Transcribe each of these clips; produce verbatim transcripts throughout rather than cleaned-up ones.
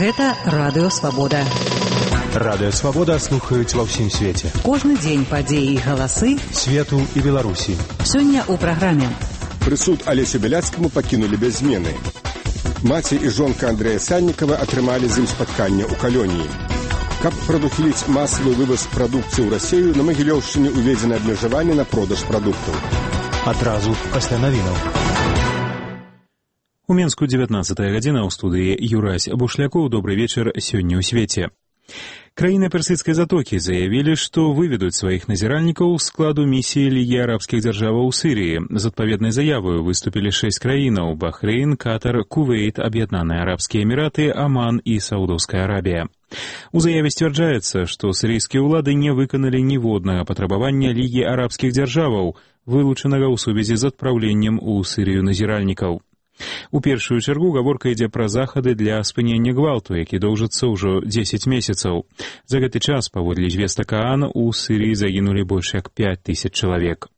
Гэта Радыё Свабода. Радыё Свабода слухаюць ва ўсім свеце. Кожны дзень падзеі і галасы свету і Беларусі. Сёння ў праграме. Прысуд Алесю Бяляцкаму пакінулі без змены. Маці і жонка Андрэя Сальнікава атрымалі з ім спатканне ў калоніі. Каб прадухіліць масавы вываз прадукцыі ў Расею, на Магілёўшчыне ўведзена абмежаванне на продаж прадуктаў. Адразу пасля навінаў. У Менску дзевятнаццатая гадзіна, ў студыі Юрась Бушлякоў. Добры вечар сёння ў свеце. Краіны Персідскай затокі заявілі, што выведуць сваіх назіральнікаў з складу місіі Лігі арабскіх дзяржаваў у Сірыі. З адпаведнай заявою выступілі шэсць краінаў: Бахрэйн, Катар, Кувейт, Аб'яднаныя Арабскія Эміраты, Аман і Саудаўская Арабія. У заяве сцвярджаецца, што сірыйскія ўлады не выканалі ніводнага патрабавання Лігі арабскіх дзяржаваў, вылучанага ў сувязі з адпраўленнем у Сірыю назіральнікаў. У першую чаргу гаворка ідзе пра захады для спынення гвалту, які доўжыцца ўжо дзесяць месяцаў. За гэты час, паводле звестак ААН, у Сірыі загінулі больш як пяць тысяч чалавек.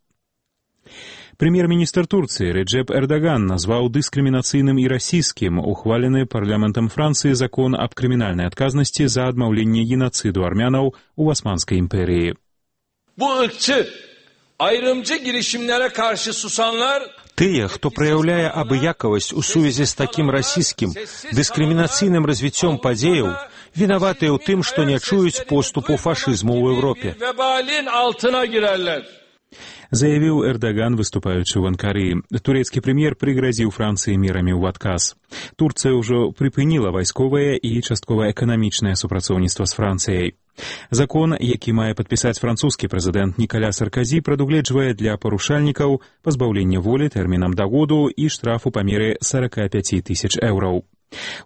Прэм'ер-міністр Турцыі Реджеп Эрдаган назваў дыскрымінацыйным і расійскім ухвалены парламентам Францыі закон аб крымінальнай адказнасці за адмаўленне геноциду армянаў у Османскай імперіі. Тыя, хто праяўляе абыякавасць у сувязі з такім расійскім дыскрымінацыйным развіццём падзеяў, вінаватыя ў тым, што не чуюць поступу фашызму ў Еўропе. Заявіў Эрдаган, выступаючы ў Анкары. Турэцкі прэм'ер прыгразіў Францыі мерамі ў адказ. Турцыя ўжо прыпыніла вайсковае і часткова эканамічнае супрацоўніцтва з Францыяй. Закон, які мае падпісаць французскі прэзідэнт Нікаля Сарказі, прадугледжвае для парушальнікаў пазбаўленне волі тэрмінам да году і штраф у памеры сорок пять тысяч еўраў.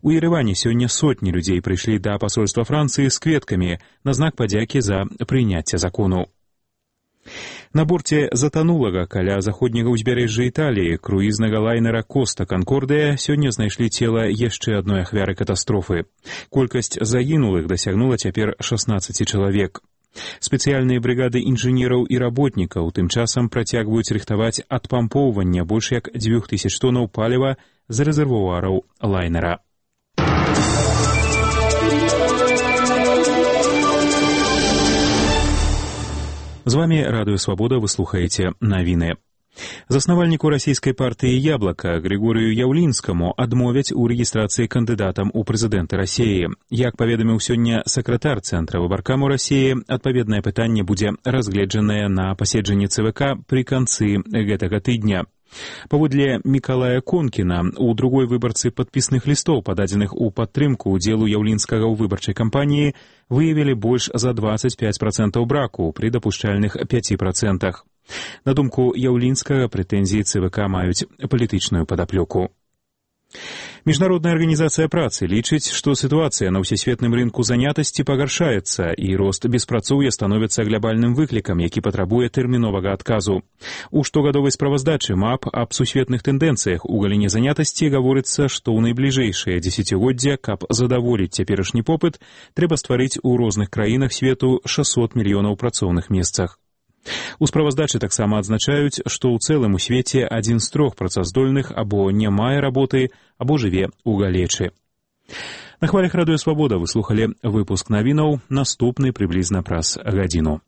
У Ерэване сёння сотні людзей прыйшлі да пасольства Францыі з кветкамі на знак падзякі за прыняцце закону. На борце затанулага каля заходняга ўзбярэжжа Італіі круізнага лайнера Коста Канкордыя сёння знайшлі цела яшчэ адной ахвяры катастрофы. Колькасць загінулых дасягнула цяпер шаснаццаць чалавек. Спецыяльныя брыгады інжынераў і работнікаў тым часам працягваюць рыхтаваць адпампоўванне больш як дзвюх тысяч тоннаў паліва з рэзервуараў лайнера. З вами Радыё Свабода, вы слухаеце навіны. Заснавальніку расійскай партыі «Яблака» Григорію Яўлінскаму адмовяць у рэгістрацыі кандыдатам у прэзідэнты Расіі. Як паведаміў сёння сакратар Цэнтра выбаркаму Расіі, адпаведнае пытанне будзе разгледжанае на паседжанні ЦВК пры канцы гэтага тыдня. Паводле Мікалая Конкіна, у другой выбарцы падпісных лістоў, пададзеных у падтрымку ўдзелу Яўлінскага ў выбарчай кампаніі, выявілі больш за двадцать пять процентаў браку пры дапушчальных пяти процентах. На думку Яўлінскага, прэтэнзіі ЦВК маюць палітычную падаплёку. Міжнародная арганізацыя працы лічыць, што сітуацыя на ўсесветным рынку занятасці пагаршаецца і рост беспрацоўя становіцца глябальным выклікам, які патрабуе тэрміновага адказу. У штогадовай справаздачы МАП аб сусветных тэндэнцыях у галіне занятасці гаворыцца, што ў найбліжэйшае дзесяцігоддзе, каб задаволіць цяперашні попыт, трэба стварыць у розных краінах свету шэсцьсот мільёнаў працоўных месцах. У справаздачы таксама адзначаюць, што ў цэлым у свеце адзін з трох працаздольных або не мае работы, або жыве ў галечы. На хвалях Радыё Свабода вы слухалі выпуск навінаў, наступны прыблізна праз гадзіну.